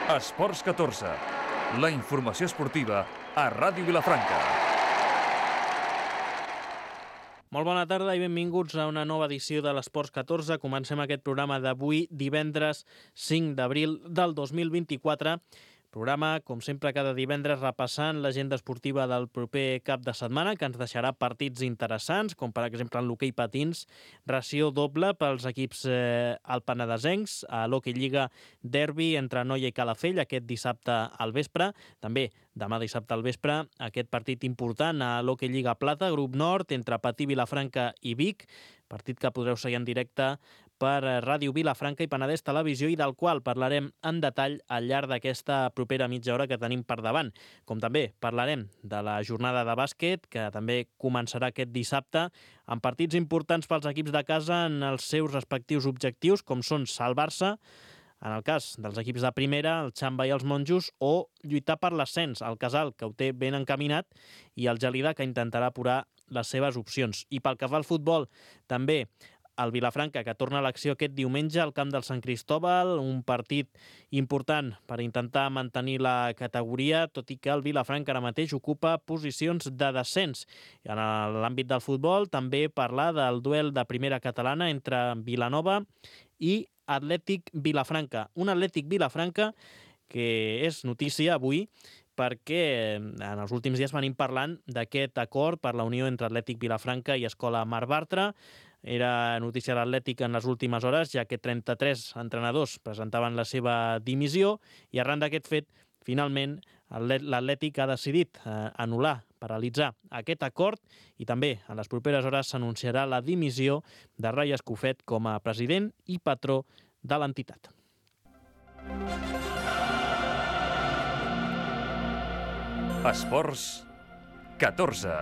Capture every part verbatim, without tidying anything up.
Esports catorze, la informació esportiva a Ràdio Vilafranca. Molt bona tarda i benvinguts a una nova edició de l'Esports catorze. Comencem aquest programa d'avui, divendres cinc d'abril del dos mil vint-i-quatre. Programa, com sempre, cada divendres repassant l'agenda esportiva del proper cap de setmana, que ens deixarà partits interessants, com per exemple en l'hoquei patins, ració doble pels equips eh, alpenedesencs, a l'Hockey Lliga derbi entre Noia i Calafell aquest dissabte al vespre. També demà dissabte al vespre aquest partit important a l'Hockey Lliga Plata, grup nord, entre Patí, Vilafranca i Vic, partit que podreu seguir en directe per Ràdio Vilafranca i Penedès Televisió i del qual parlarem en detall al llarg d'aquesta propera mitja hora que tenim per davant. Com també parlarem de la jornada de bàsquet, que també començarà aquest dissabte, amb partits importants pels equips de casa en els seus respectius objectius, com són salvar-se, en el cas dels equips de primera, el Xamba i els Monjos, o lluitar per l'ascens, el Casal, que ho té ben encaminat, i el Gelida, que intentarà apurar les seves opcions. I pel que fa al futbol, també el Vilafranca, que torna a l'acció aquest diumenge al camp del Sant Cristóbal, un partit important per intentar mantenir la categoria, tot i que el Vilafranca ara mateix ocupa posicions de descens. En l'àmbit del futbol, també parlar del duel de primera catalana entre Vilanova i Atlètic Vilafranca. Un Atlètic Vilafranca que és notícia avui, perquè en els últims dies venim parlant d'aquest acord per la unió entre Atlètic Vilafranca i Escola Mar Bartra. Era notícia a l'Atlètic en les últimes hores, ja que trenta-tres entrenadors presentaven la seva dimissió i arran d'aquest fet, finalment, l'Atlètic ha decidit anul·lar, paralitzar aquest acord i també en les properes hores s'anunciarà la dimissió de Rai Escofet com a president i patró de l'entitat. Esports catorze.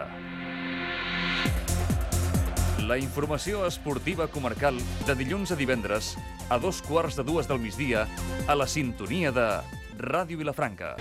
La informació esportiva comarcal de dilluns a divendres a dos quarts de dues del migdia a la sintonia de Ràdio Vilafranca.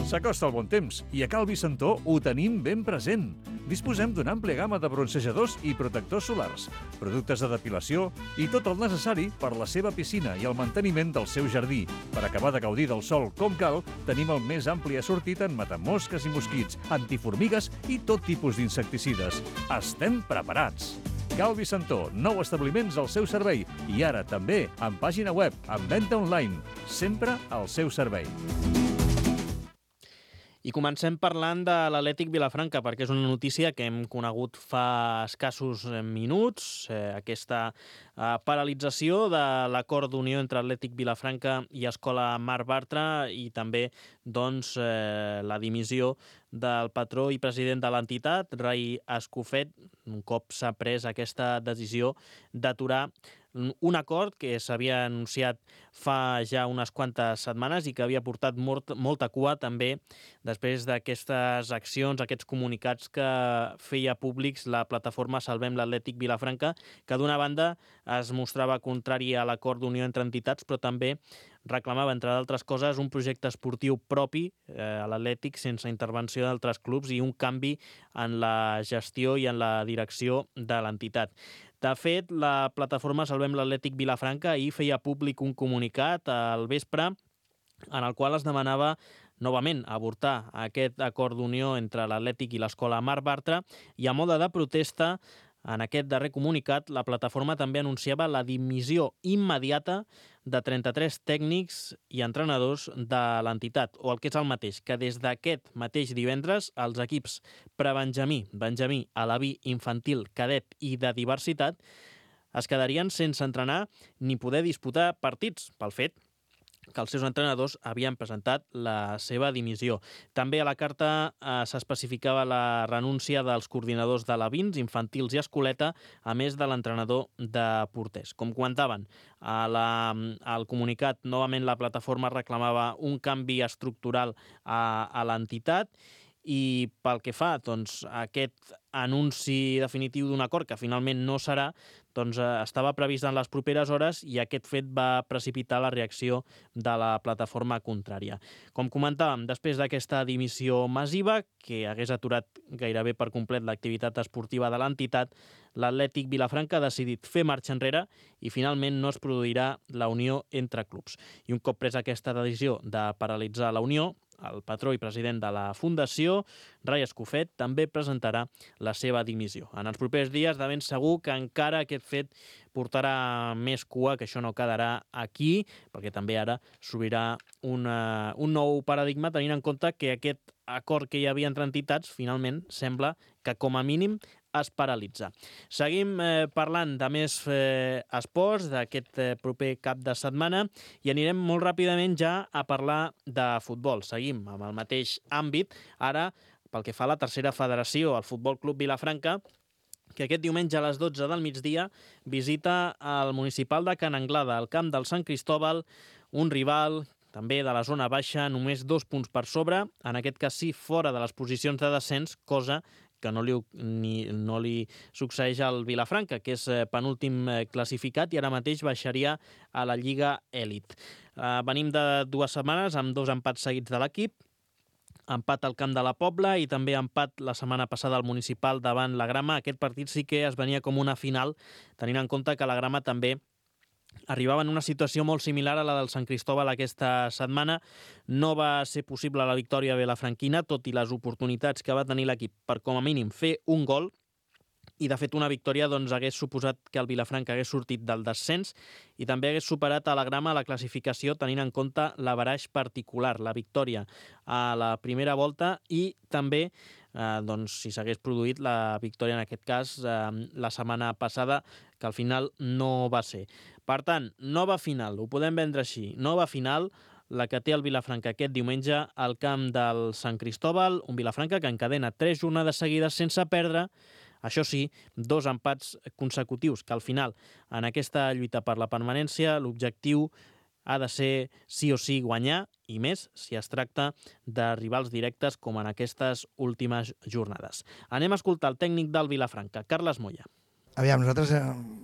S'acosta el bon temps i a Cal Vicentó ho tenim ben present. Disposem d'una àmplia gamma de bronzejadors i protectors solars, productes de depilació i tot el necessari per la seva piscina i el manteniment del seu jardí. Per acabar de gaudir del sol com cal, tenim el més ampli assortit en matamosques i mosquits, antiformigues i tot tipus d'insecticides. Estem preparats! Cal Vicentó, nou establiments al seu servei i ara també amb pàgina web, amb venda online, sempre al seu servei. I comencem parlant de l'Atlètic Vilafranca, perquè és una notícia que hem conegut fa escassos minuts, eh, aquesta eh, paralització de l'acord d'unió entre Atlètic Vilafranca i Escola Mar Bartra i també doncs, eh, la dimissió del patró i president de l'entitat, Rai Escofet, un cop s'ha pres aquesta decisió d'aturar un acord que s'havia anunciat fa ja unes quantes setmanes i que havia portat molt, molta cua també després d'aquestes accions, aquests comunicats que feia públics la plataforma Salvem l'Atlètic Vilafranca, que d'una banda es mostrava contrari a l'acord d'unió entre entitats, però també reclamava, entre d'altres coses, un projecte esportiu propi eh, a l'Atlètic sense intervenció d'altres clubs i un canvi en la gestió i en la direcció de l'entitat. De fet, la plataforma Salvem l'Atlètic Vilafranca ahir feia públic un comunicat al vespre en el qual es demanava novament avortar aquest acord d'unió entre l'Atlètic i l'Escola Mar Bartra i a mode de protesta, en aquest darrer comunicat, la plataforma també anunciava la dimissió immediata de trenta-tres tècnics i entrenadors de l'entitat, o el que és el mateix, que des d'aquest mateix divendres els equips prebenjamí, benjamí, alaví, infantil, cadet i de diversitat es quedarien sense entrenar ni poder disputar partits pel fet que els seus entrenadors havien presentat la seva dimissió. També a la carta eh, s'especificava la renúncia dels coordinadors de l'Avins, infantils i escoleta, a més de l'entrenador de porters. Com comentaven, a la, al comunicat, novament la plataforma reclamava un canvi estructural a, a l'entitat i pel que fa doncs, a aquest anunci definitiu d'un acord, que finalment no serà, doncs, estava previst en les properes hores i aquest fet va precipitar la reacció de la plataforma contrària. Com comentàvem, després d'aquesta dimissió massiva, que hagués aturat gairebé per complet l'activitat esportiva de l'entitat, l'Atlètic Vilafranca ha decidit fer marxa enrere i finalment no es produirà la unió entre clubs. I un cop presa aquesta decisió de paralitzar la unió, el patró i president de la Fundació, Rai Escofet, també presentarà la seva dimissió. En els propers dies, de ben segur que encara aquest fet portarà més cua, que això no quedarà aquí, perquè també ara s'obrirà una, un nou paradigma, tenint en compte que aquest acord que hi havia entre entitats, finalment, sembla que com a mínim es paralitza. Seguim eh, parlant de més eh, esports d'aquest eh, proper cap de setmana i anirem molt ràpidament ja a parlar de futbol. Seguim amb el mateix àmbit. Ara, pel que fa a la tercera federació, el Futbol Club Vilafranca, que aquest diumenge a les dotze del migdia visita el municipal de Can Anglada, al camp del Sant Cristòbal, un rival també de la zona baixa, només dos punts per sobre, en aquest cas sí fora de les posicions de descens, cosa que no li, ni, no li succeeix al Vilafranca, que és penúltim classificat i ara mateix baixaria a la Lliga Elit. Uh, venim de dues setmanes amb dos empats seguits de l'equip, empat al camp de la Pobla i també empat la setmana passada al municipal davant la Grama. Aquest partit sí que es venia com una final, tenint en compte que la Grama també arribava en una situació molt similar a la del Sant Cristòbal aquesta setmana. No va ser possible la victòria vilafranquina, tot i les oportunitats que va tenir l'equip per com a mínim fer un gol. I, de fet, una victòria doncs, hagués suposat que el Vilafranca hagués sortit del descens i també hagués superat a la Grama a la classificació, tenint en compte l'averaix particular, la victòria a la primera volta i també, eh, doncs, si s'hagués produït la victòria, en aquest cas, eh, la setmana passada, que al final no va ser. Per tant, nova final, ho podem vendre així, nova final, la que té el Vilafranca aquest diumenge al camp del Sant Cristòbal, un Vilafranca que encadena tres jornades seguides sense perdre. Això sí, dos empats consecutius, que al final, en aquesta lluita per la permanència, l'objectiu ha de ser sí o sí guanyar, i més si es tracta de rivals directes com en aquestes últimes jornades. Anem a escoltar el tècnic del Vilafranca, Carles Moya. Aviam, nosaltres eh,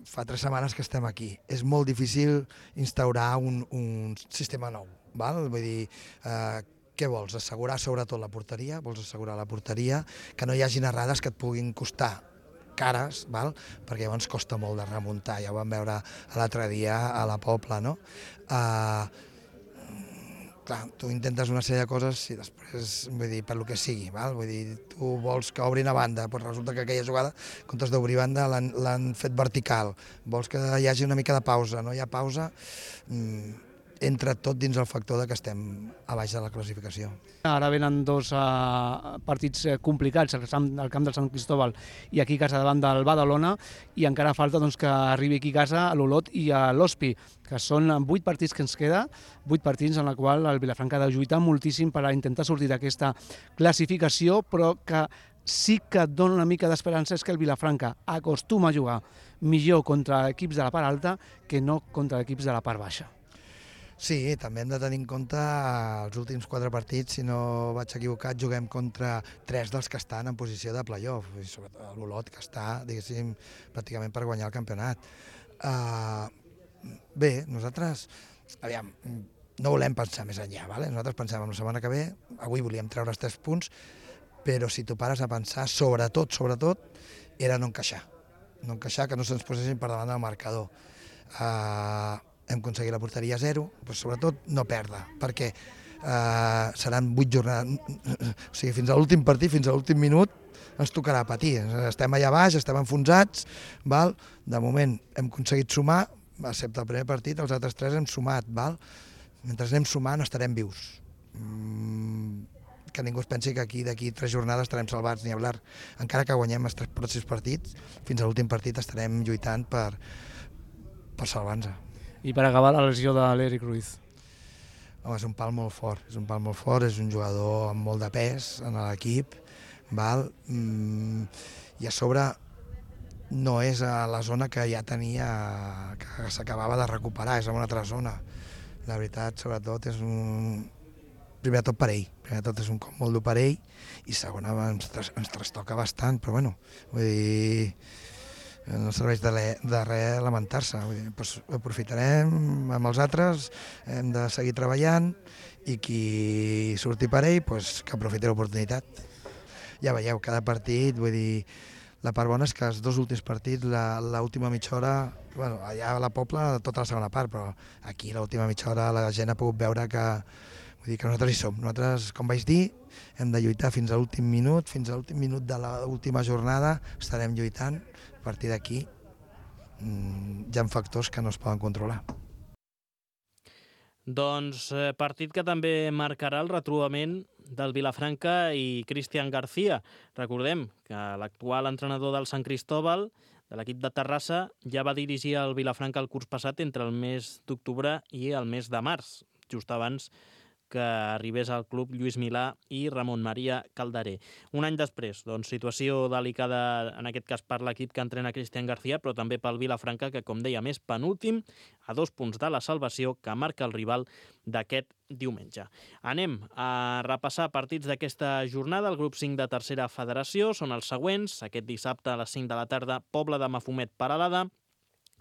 fa tres setmanes que estem aquí. És molt difícil instaurar un, un sistema nou, val? Vull dir, eh, què vols? Assegurar sobretot la porteria, vols assegurar la porteria, que no hi hagi errades que et puguin costar cares, val? Perquè llavors costa molt de remuntar, ja ho vam veure l'altre dia a la Pobla, no? Uh, clar, tu intentes una sèrie de coses i després, vull dir, per lo que sigui, val? Vull dir, tu vols que obrin a banda, però resulta que aquella jugada, en comptes d'obrir banda, l'han fet vertical, vols que hi hagi una mica de pausa, no hi ha pausa, mm, entra tot dins el factor de que estem a baix de la classificació. Ara venen dos uh, partits complicats, al camp del Sant Cristòbal i aquí a casa davant del Badalona, i encara falta doncs, que arribi aquí a casa a l'Olot i a l'Hospi, que són vuit partits que ens queda, vuit partits en la qual el Vilafranca ha de lluitar moltíssim per a intentar sortir d'aquesta classificació, però que sí que et dona una mica d'esperança és que el Vilafranca acostuma a jugar millor contra equips de la part alta que no contra equips de la part baixa. Sí, també hem de tenir en compte els últims quatre partits, si no vaig equivocat, juguem contra tres dels que estan en posició de play-off, i sobretot l'Olot, que està, diguéssim, pràcticament per guanyar el campionat. Uh, bé, nosaltres, aviam, no volem pensar més enllà, vale? Nosaltres pensem en la setmana que ve, avui volíem treure els tres punts, però si tu pares a pensar, sobretot, sobretot, era no encaixar, no encaixar, que no se'ns posessin per davant del marcador. Uh, hem aconseguit la porteria a zero, però sobretot no perdre, perquè eh, seran vuit jornades, o sigui, fins a l'últim partit, fins a l'últim minut, ens tocarà patir. Estem allà baix, estem enfonsats, val? De moment hem aconseguit sumar, excepte el primer partit, els altres tres hem sumat, val? Mentre anem sumant estarem vius. Mm, que ningú es pensi que aquí d'aquí tres jornades estarem salvats, ni hablar. Encara que guanyem els tres pròxims partits, fins a l'últim partit estarem lluitant per, per salvar-nos. I per acabar, la lesió de l'Eric Ruiz. Home, és un pal molt fort, és un pal molt fort, és un jugador amb molt de pes en l'equip, val? Mm, i a sobre no és a la zona que ja tenia, que s'acabava de recuperar, és a una altra zona. La veritat, sobretot, és un... Primer de tot per ell, primer de tot és un cop molt dur per ell, i segona ens, ens trastoca bastant, però bueno, vull dir... no serveix de, de res lamentar-se. Doncs aprofitarem amb els altres, hem de seguir treballant i qui surti per ell, doncs, que aprofiti l'oportunitat. Ja veieu, cada partit, vull dir, la part bona és que els dos últims partits, l'última mitja hora, bueno, allà a la Pobla tota la segona part, però aquí l'última mitja hora la gent ha pogut veure que, vull dir, que nosaltres hi som. Nosaltres, com vaig dir, hem de lluitar fins a l'últim minut, fins a l'últim minut de l'última jornada estarem lluitant. A partir d'aquí hi ha factors que no es poden controlar. Doncs eh, partit que també marcarà el retrobament del Vilafranca i Cristian García. Recordem que l'actual entrenador del Sant Cristóbal, de l'equip de Terrassa, ja va dirigir el Vilafranca el curs passat entre el mes d'octubre i el mes de març, just abans que arribés al club Lluís Milà i Ramon Maria Calderé. Un any després, doncs, situació delicada, en aquest cas per l'equip que entrena Cristian García, però també pel Vilafranca, que, com dèiem, és penúltim, a dos punts de la salvació, que marca el rival d'aquest diumenge. Anem a repassar partits d'aquesta jornada. El grup cinc de tercera federació són els següents. Aquest dissabte a les cinc de la tarda, Pobla de Mafumet, Peralada.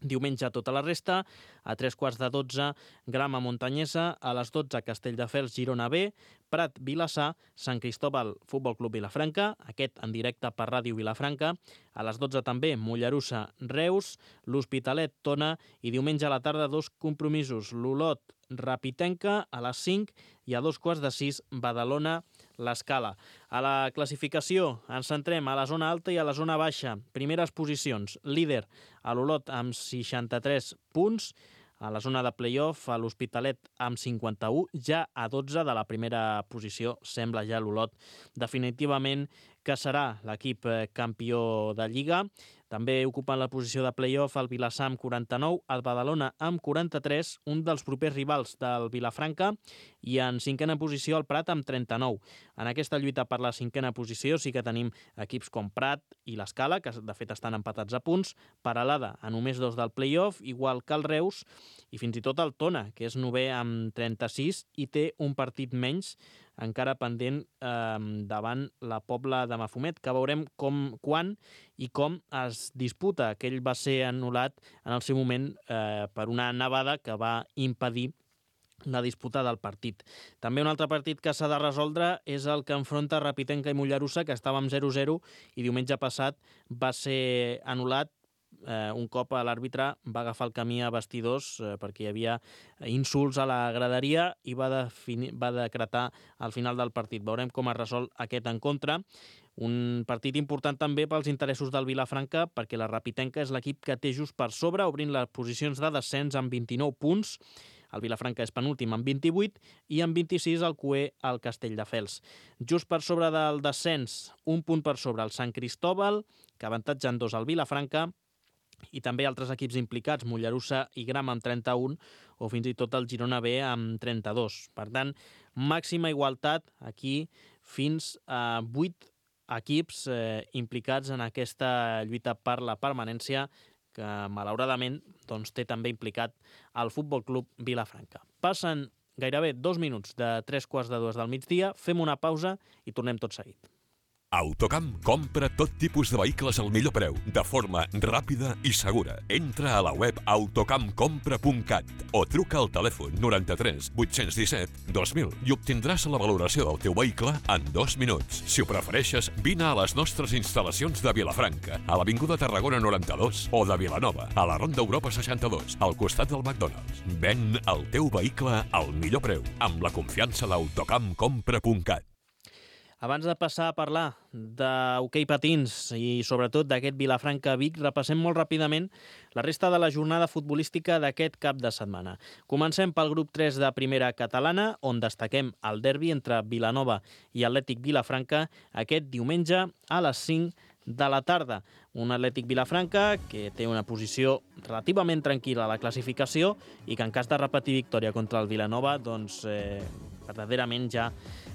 Diumenge tota la resta, a tres quarts de dotze, Grama Montanyesa, a les dotze, Castelldefels, Girona B, Prat, Vilassar, Sant Cristóbal, Futbol Club Vilafranca, aquest en directe per Ràdio Vilafranca, a les dotze també, Mollerussa, Reus, l'Hospitalet, Tona, i diumenge a la tarda dos compromisos, l'Olot, Rapitenca, a les cinc, i a dos quarts de sis, Badalona, l'Escala. A la classificació ens centrem a la zona alta i a la zona baixa. Primeres posicions, líder a l'Olot amb seixanta-tres punts, a la zona de play-off a l'Hospitalet amb cinquanta-u, ja a dotze de la primera posició, sembla ja l'Olot definitivament que serà l'equip campió de Lliga. També ocupen la posició de play-off el Vilassar amb quaranta-nou, el Badalona amb quaranta-tres, un dels propers rivals del Vilafranca, i en cinquena posició el Prat amb trenta-nou. En aquesta lluita per la cinquena posició sí que tenim equips com Prat i l'Escala, que de fet estan empatats a punts, Peralada a només dos del play-off, igual que el Reus, i fins i tot el Tona, que és novè amb trenta-sis i té un partit menys encara pendent eh, davant la Pobla de Mafumet, que veurem com, quan i com es disputa. Aquell va ser anul·lat en el seu moment eh, per una nevada que va impedir la disputa del partit. També un altre partit que s'ha de resoldre és el que enfronta Rapitenca i Mollerussa, que estava amb zero zero i diumenge passat va ser anul·lat. Eh, un cop l'àrbitre va agafar el camí a vestidors eh, perquè hi havia insults a la graderia i va, definir, va decretar al final del partit. Veurem com es resol aquest encontre. Un partit important també pels interessos del Vilafranca, perquè la Rapitenca és l'equip que té just per sobre, obrint les posicions de descens amb vint-i-nou punts. El Vilafranca és penúltim amb vint-i-vuit i amb vint-i-sis el cuer al Castelldefels. Just per sobre del descens, un punt per sobre el Sant Cristóbal, que avantatgen dos al Vilafranca, i també altres equips implicats, Mollerussa i Grama amb trenta-un, o fins i tot el Girona B amb trenta-dos. Per tant, màxima igualtat aquí fins a vuit equips eh, implicats en aquesta lluita per la permanència, que malauradament doncs, té també implicat el Futbol Club Vilafranca. Passen gairebé dos minuts de tres quarts de dues del migdia, fem una pausa i tornem tot seguit. Autocamp compra tot tipus de vehicles al millor preu, de forma ràpida i segura. Entra a la web autocamp compra punt cat o truca al telèfon noranta-tres vuit-cents disset dos mil i obtindràs la valoració del teu vehicle en dos minuts. Si ho prefereixes, vine a les nostres instal·lacions de Vilafranca, a l'Avinguda Tarragona noranta-dos o de Vilanova, a la Ronda Europa seixanta-dos, al costat del McDonald's. Ven el teu vehicle al millor preu, amb la confiança d'Autocamp compra punt cat. Abans de passar a parlar d'hoquei patins i sobretot d'aquest Vilafranca-Vic, repassem molt ràpidament la resta de la jornada futbolística d'aquest cap de setmana. Comencem pel grup tres de primera catalana, on destaquem el derbi entre Vilanova i Atlètic Vilafranca aquest diumenge a les cinc de la tarda. Un Atlètic Vilafranca que té una posició relativament tranquil·la a la classificació i que en cas de repetir victòria contra el Vilanova, doncs eh, verdaderament ja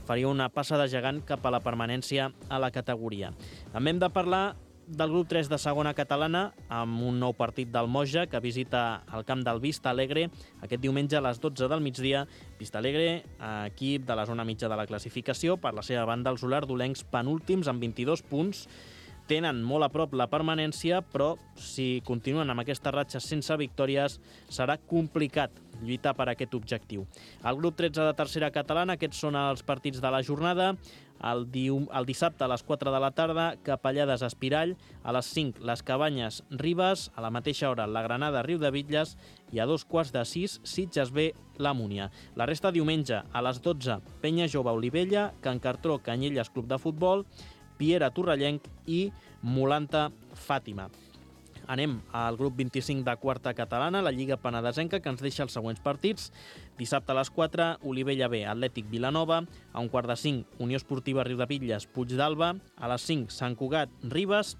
faria una passa de gegant cap a la permanència a la categoria. També hem de parlar del grup tres de segona catalana amb un nou partit del Moja que visita el camp del Vista Alegre aquest diumenge a les dotze del migdia. Vista Alegre, equip de la zona mitja de la classificació. Per la seva banda, els olardolencs penúltims amb vint-i-dos punts. tenen molt a prop la permanència, però si continuen amb aquesta ratxa sense victòries serà complicat lluitar per aquest objectiu. El grup tretze de tercera catalana, aquests són els partits de la jornada. El, dium, el dissabte a les quatre de la tarda, Capellades Espirall, a les cinc les Cabanyes Ribes, a la mateixa hora la Granada Riudebitlles i a dos quarts de sis Sitges B la Múnia. La resta diumenge a les dotze Penya Jove Olivella, Can Cartró Canyelles Club de Futbol, Piera Torrellenc i Molanta Fàtima. Anem al grup vint-i-cinc de quarta catalana, la Lliga Penedesenca, que ens deixa els següents partits. Dissabte a les quatre, Olivella B, Atlètic Vilanova. A un quart de cinc, Unió Esportiva Riudebitlles, Puig d'Alba. A les cinc, Sant Cugat, Ribes.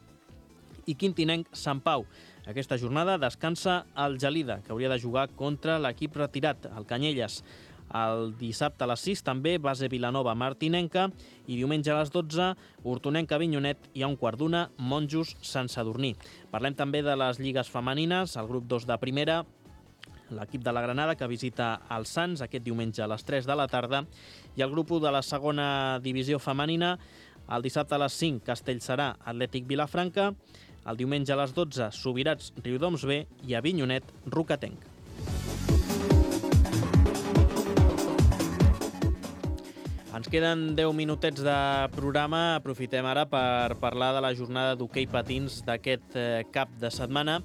I Quintinenc, Sant Pau. Aquesta jornada descansa el Gelida, que hauria de jugar contra l'equip retirat, el Canyelles. El dissabte a les sis també Base Vilanova Martinenca i diumenge a les dotze Hortonenca Avinyonet i a un quart d'una Monjos Sant Sadurní. Parlem també de les lligues femenines, el grup dos de primera, l'equip de la Granada que visita el Sants aquest diumenge a les tres de la tarda i el grup u de la segona divisió femenina, el dissabte a les cinc Castellserà Atlètic Vilafranca, el diumenge a les dotze Subirats Riudoms B i Avinyonet Rocatenc. Ens queden deu minutets de programa. Aprofitem ara per parlar de la jornada d'hoquei patins d'aquest cap de setmana.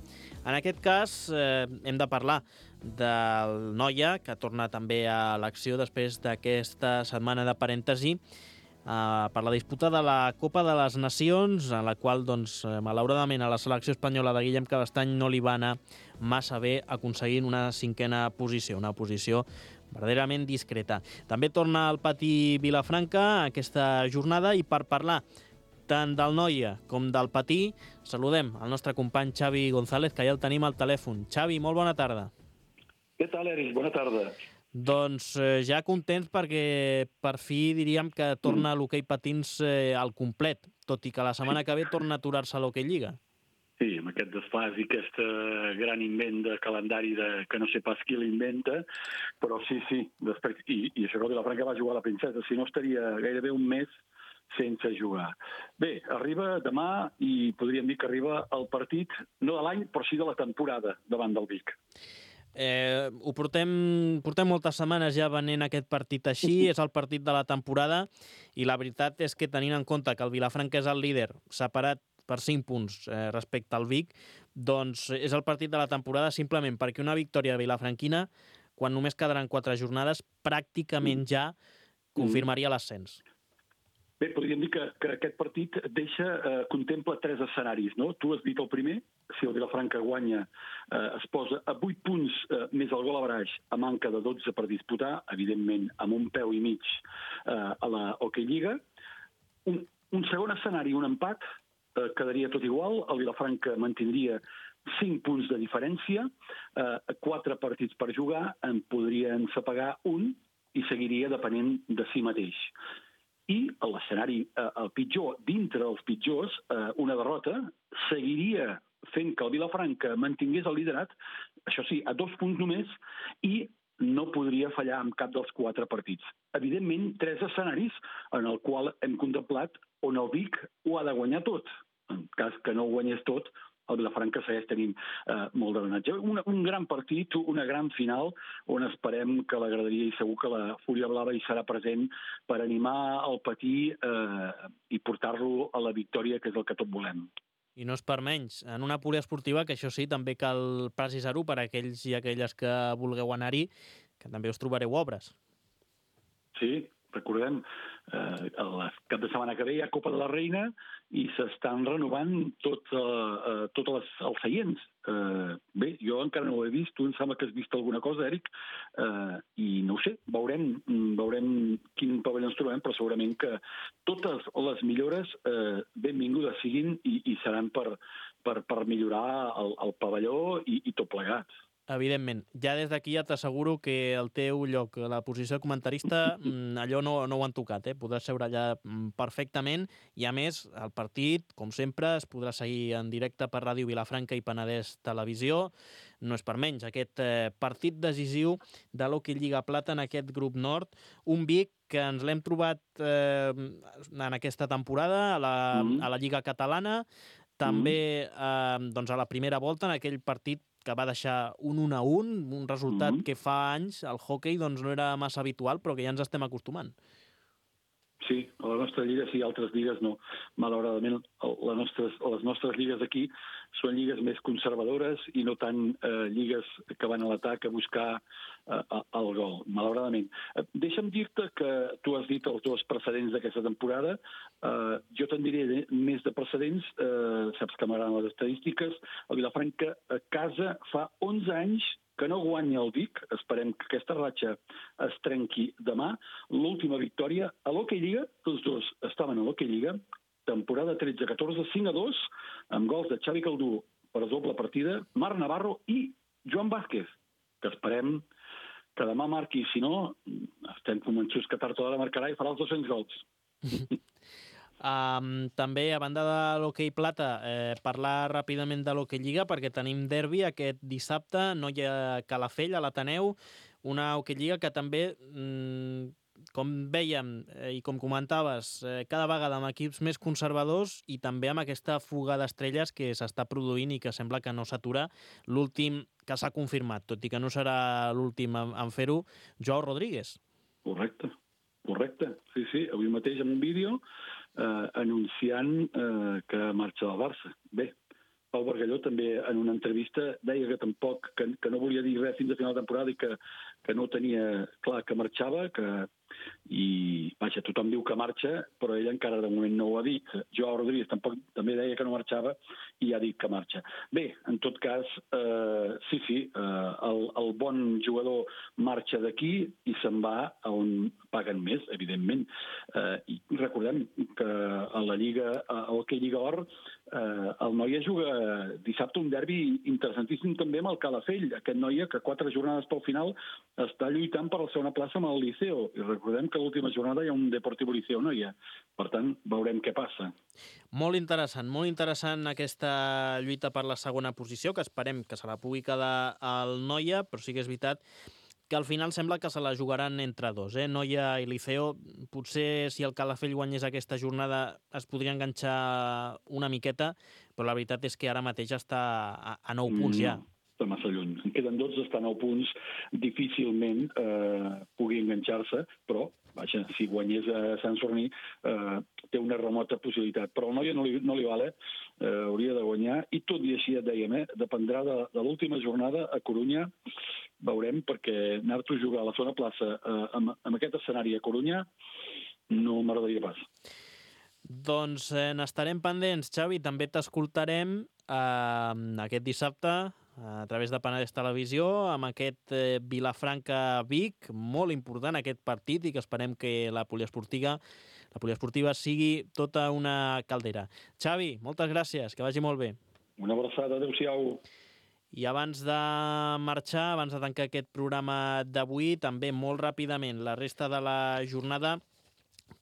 En aquest cas eh, hem de parlar del Noia, que torna també a l'acció després d'aquesta setmana de parèntesi eh, per la disputa de la Copa de les Nacions, en la qual, doncs, malauradament, a la selecció espanyola de Guillem Cabestany no li va anar massa bé aconseguint una cinquena posició, una posició verdaderament discreta. També torna al Patí Vilafranca aquesta jornada i per parlar tant del Noia com del Patí saludem el nostre company Xavi González, que ja el tenim al telèfon. Xavi, molt bona tarda. Què tal, Eric? Bona tarda. Doncs eh, ja contents perquè per fi diríem que torna mm. l'hoquei patins eh, al complet, tot i que la setmana que ve torna a aturar-se l'hoquei lliga. Sí, amb aquest desfàs i aquest gran invent de calendari de, que no sé pas qui l'inventa, però sí, sí, després, i, i això que el Vilafranca va jugar a la Princesa, si no estaria gairebé un mes sense jugar. Bé, arriba demà i podríem dir que arriba el partit, no de l'any, però sí de la temporada davant del Vic. Eh, ho portem, portem moltes setmanes ja venent aquest partit així, és el partit de la temporada i la veritat és que tenint en compte que el Vilafranca és el líder separat per cinc punts eh, respecte al Vic, doncs és el partit de la temporada simplement perquè una victòria vilafranquina, quan només quedaran quatre jornades, pràcticament ja confirmaria l'ascens. Bé, podríem dir que, que aquest partit deixa, eh, contempla tres escenaris, no? Tu has dit el primer, si el Vilafranca guanya, eh, es posa a vuit punts eh, més el gol a baraix, a manca de dotze per disputar, evidentment amb un peu i mig eh, a la Hockey Lliga. Un, un segon escenari, un empat, eh, quedaria tot igual, el Vilafranca mantindria cinc punts de diferència, eh, quatre partits per jugar, en podrien sepagar un i seguiria depenent de si mateix. I l'escenari, eh, el pitjor, dintre dels pitjors, eh, una derrota, seguiria fent que el Vilafranca mantingués el liderat, això sí, a dos punts només, i no podria fallar en cap dels quatre partits. Evidentment, tres escenaris en el qual hem contemplat on el Vic ho ha de guanyar tot. En cas que no ho guanyés tot, el Vilafranca segueix tenint eh, molt d'avantatge. Un, un gran partit, una gran final, on esperem que la graderia i segur que la Fúria Blava hi serà present per animar el Patí eh, i portar-lo a la victòria, que és el que tot volem. I no és per menys. En una poliesportiva, que això sí, també cal precisar-ho per a aquells i aquelles que vulgueu anar-hi, que també us trobareu obres. Sí, recordem, eh, el cap de setmana que ve hi ha Copa de la Reina i s'estan renovant tot, eh, tots els, els seients. Eh, bé, jo encara no ho he vist, tu em sembla que has vist alguna cosa, Eric, eh, i no ho sé, veurem, veurem quin pavelló ens trobem, però segurament que totes les millores eh, benvingudes siguin i, i seran per, per, per millorar el, el pavelló i, i tot plegat. Evidentment. Ja des d'aquí ja t'asseguro que el teu lloc, la posició de comentarista, allò no, no ho han tocat, eh? Podràs seure allà perfectament i, a més, el partit, com sempre, es podrà seguir en directe per Ràdio Vilafranca i Penedès Televisió. No és per menys, aquest eh, partit decisiu de l'Hockey Lliga Plata en aquest grup nord. Un Vic que ens l'hem trobat eh, en aquesta temporada a la, mm. a la Lliga Catalana, també eh, doncs a la primera volta, en aquell partit que va deixar un un a un, un resultat mm-hmm. que fa anys el hoquei doncs, no era massa habitual, però que ja ens estem acostumant. Sí, a la nostra lliga sí, altres lligues no. Malauradament, les nostres, les nostres lligues aquí són lligues més conservadores i no tant eh, lligues que van a l'atac a buscar eh, el gol, malauradament. Eh, deixa'm dir-te que tu has dit els dos precedents d'aquesta temporada. Eh, jo te'n diré més de precedents. Eh, saps que m'agraden les estadístiques. El Vilafranca a casa fa onze anys que no guanya el Vic, esperem que aquesta ratxa es trenqui demà. L'última victòria a l'Hockey Lliga, tots dos estaven a l'Hockey Lliga, temporada tretze catorze, cinc a dos, amb gols de Xavi Caldú per doble partida, Marc Navarro i Joan Vázquez, que esperem que demà marqui. Si no, estem convençuts que tard o d'hora marcarà i farà els dos-cents gols. Um, també, a banda de l'Hockey Plata, eh, parlar ràpidament de l'Hockey Lliga, perquè tenim derbi aquest dissabte, Noia Calafell, a l'Ateneu, una Hockey Lliga que també, mm, com vèiem eh, i com comentaves, eh, cada vegada amb equips més conservadors i també amb aquesta fuga d'estrelles que s'està produint i que sembla que no s'atura. L'últim que s'ha confirmat, tot i que no serà l'últim en, en fer-ho, Joao Rodríguez. Correcte, correcte. Sí, sí, avui mateix en un vídeo eh, anunciant eh, que marxa del Barça. Bé, Pau Bargalló també en una entrevista deia que tampoc, que, que no volia dir res fins a final de temporada i que, que no tenia clar que marxava, que i, vaja, tothom diu que marxa, però ell encara de moment no ho ha dit. Joao Rodríguez tampoc també deia que no marxava i ha dit que marxa. Bé, en tot cas, eh, sí, sí, eh, el, el bon jugador marxa d'aquí i se'n va a on paguen més, evidentment. Eh, i recordem que a la Lliga, a l'Hockey Lliga Or, eh, el Noia juga dissabte un derbi interessantíssim també amb el Calafell. Aquest Noia, que quatre jornades pel final està lluitant per la segona plaça amb el Liceo. I recordem que a l'última jornada hi ha un Deportivo Liceo Noia. Per tant, veurem què passa. Molt interessant, molt interessant aquesta lluita per la segona posició, que esperem que se la pugui quedar al Noia, però sí que és veritat que al final sembla que se la jugaran entre dos, eh? Noia i Liceo. Potser si el Calafell guanyés aquesta jornada es podria enganxar una miqueta, però la veritat és que ara mateix està a, a nou punts ja. Mm. Està massa lluny. En queden dotze, està a nou punts, difícilment eh, pugui enganxar-se, però, vaja, si guanyés a Sant Sorní, eh, té una remota possibilitat. Però el Noia no li, no li vale, eh, hauria de guanyar, i tot i així et dèiem, eh, dependrà de, de l'última jornada a Corunya, veurem, perquè anar-te a jugar a la segona plaça eh, amb, amb aquest escenari a Corunya no m'agradaria pas. Doncs eh, n'estarem pendents, Xavi. També t'escoltarem eh, aquest dissabte a través de Penedès Televisió, amb aquest eh, Vilafranca-Vic, molt important aquest partit, i que esperem que la poliesportiva, la poliesportiva sigui tota una caldera. Xavi, moltes gràcies, que vagi molt bé. Una abraçada, adéu-siau. I abans de marxar, abans de tancar aquest programa d'avui, també molt ràpidament la resta de la jornada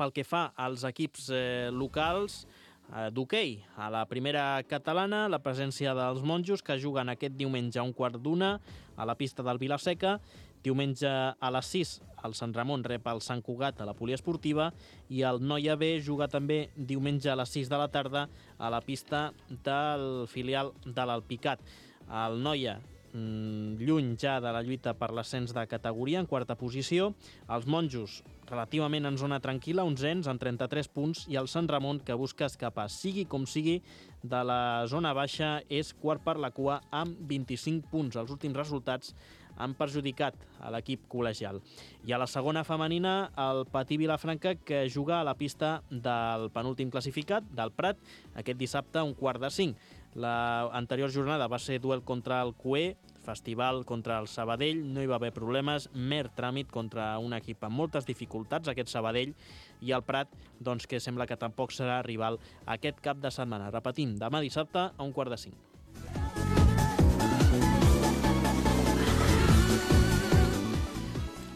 pel que fa als equips eh, locals d'hoquei. A la primera catalana, la presència dels monjos, que juguen aquest diumenge a un quart d'una a la pista del Vilaseca. Diumenge a les sis, el Sant Ramon rep el Sant Cugat a la poliesportiva, i el Noia B juga també diumenge a les sis de la tarda a la pista del filial de l'Alpicat. El Noia, lluny ja de la lluita per l'ascens de categoria, en quarta posició. Els monjos, relativament en zona tranquil·la, onzens, amb trenta-tres punts, i el Sant Ramon, que busca escapar, sigui com sigui, de la zona baixa, és quart per la cua amb vint-i-cinc punts. Els últims resultats han perjudicat a l'equip col·legial. I a la segona femenina, el Patí Vilafranca, que juga a la pista del penúltim classificat, del Prat, aquest dissabte a un quart de cinc. L'anterior jornada va ser duel contra el Cué, festival contra el Sabadell, no hi va haver problemes, mer tràmit contra un equip amb moltes dificultats, aquest Sabadell, i el Prat, doncs, que sembla que tampoc serà rival aquest cap de setmana. Repetim, demà dissabte a un quart de cinc.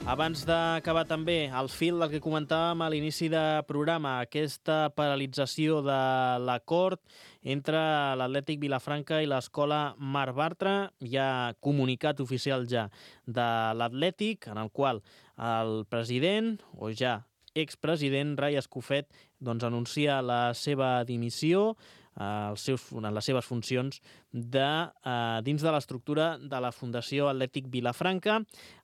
Abans d'acabar també, al fil del que comentàvem a l'inici de programa, aquesta paralització de l'acord entre l'Atlètic Vilafranca i l'Escola Marc Bartra. Hi ha comunicat oficial ja de l'Atlètic, en el qual el president, o ja expresident, Rai Escofet, doncs, anuncia la seva dimissió, els seus, les seves funcions de, eh, dins de l'estructura de la Fundació Atlètic Vilafranca.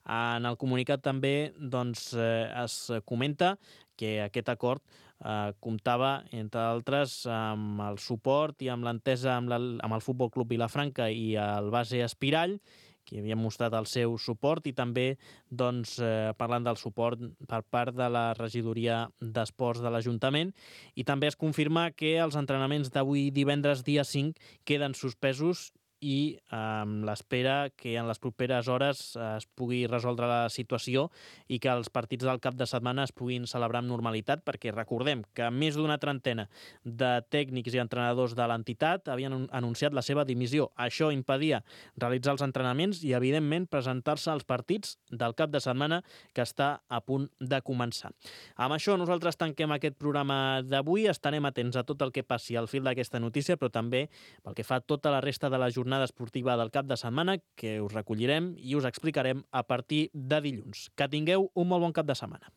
En el comunicat també doncs, eh, es comenta que aquest acord eh, comptava, entre altres, amb el suport i amb l'entesa amb, la, amb el Futbol Club Vilafranca i el Base Espirall, que havien mostrat el seu suport, i també doncs, eh, parlant del suport per part de la regidoria d'Esports de l'Ajuntament. I també es confirma que els entrenaments d'avui divendres dia cinc queden suspesos i amb l'espera que en les properes hores es pugui resoldre la situació i que els partits del cap de setmana es puguin celebrar amb normalitat, perquè recordem que més d'una trentena de tècnics i entrenadors de l'entitat havien anunciat la seva dimissió. Això impedia realitzar els entrenaments i, evidentment, presentar-se als partits del cap de setmana que està a punt de començar. Amb això nosaltres tanquem aquest programa d'avui. Estarem atents a tot el que passi al fil d'aquesta notícia, però també pel que fa a tota la resta de la jornada esportiva del cap de setmana, que us recollirem i us explicarem a partir de dilluns. Que tingueu un molt bon cap de setmana.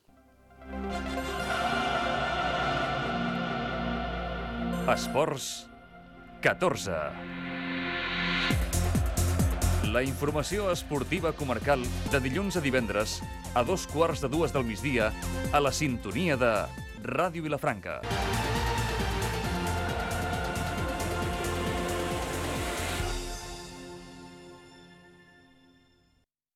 Esports catorze. La informació esportiva comarcal de dilluns a divendres a dos quarts de dues del migdia a la sintonia de Ràdio Vilafranca.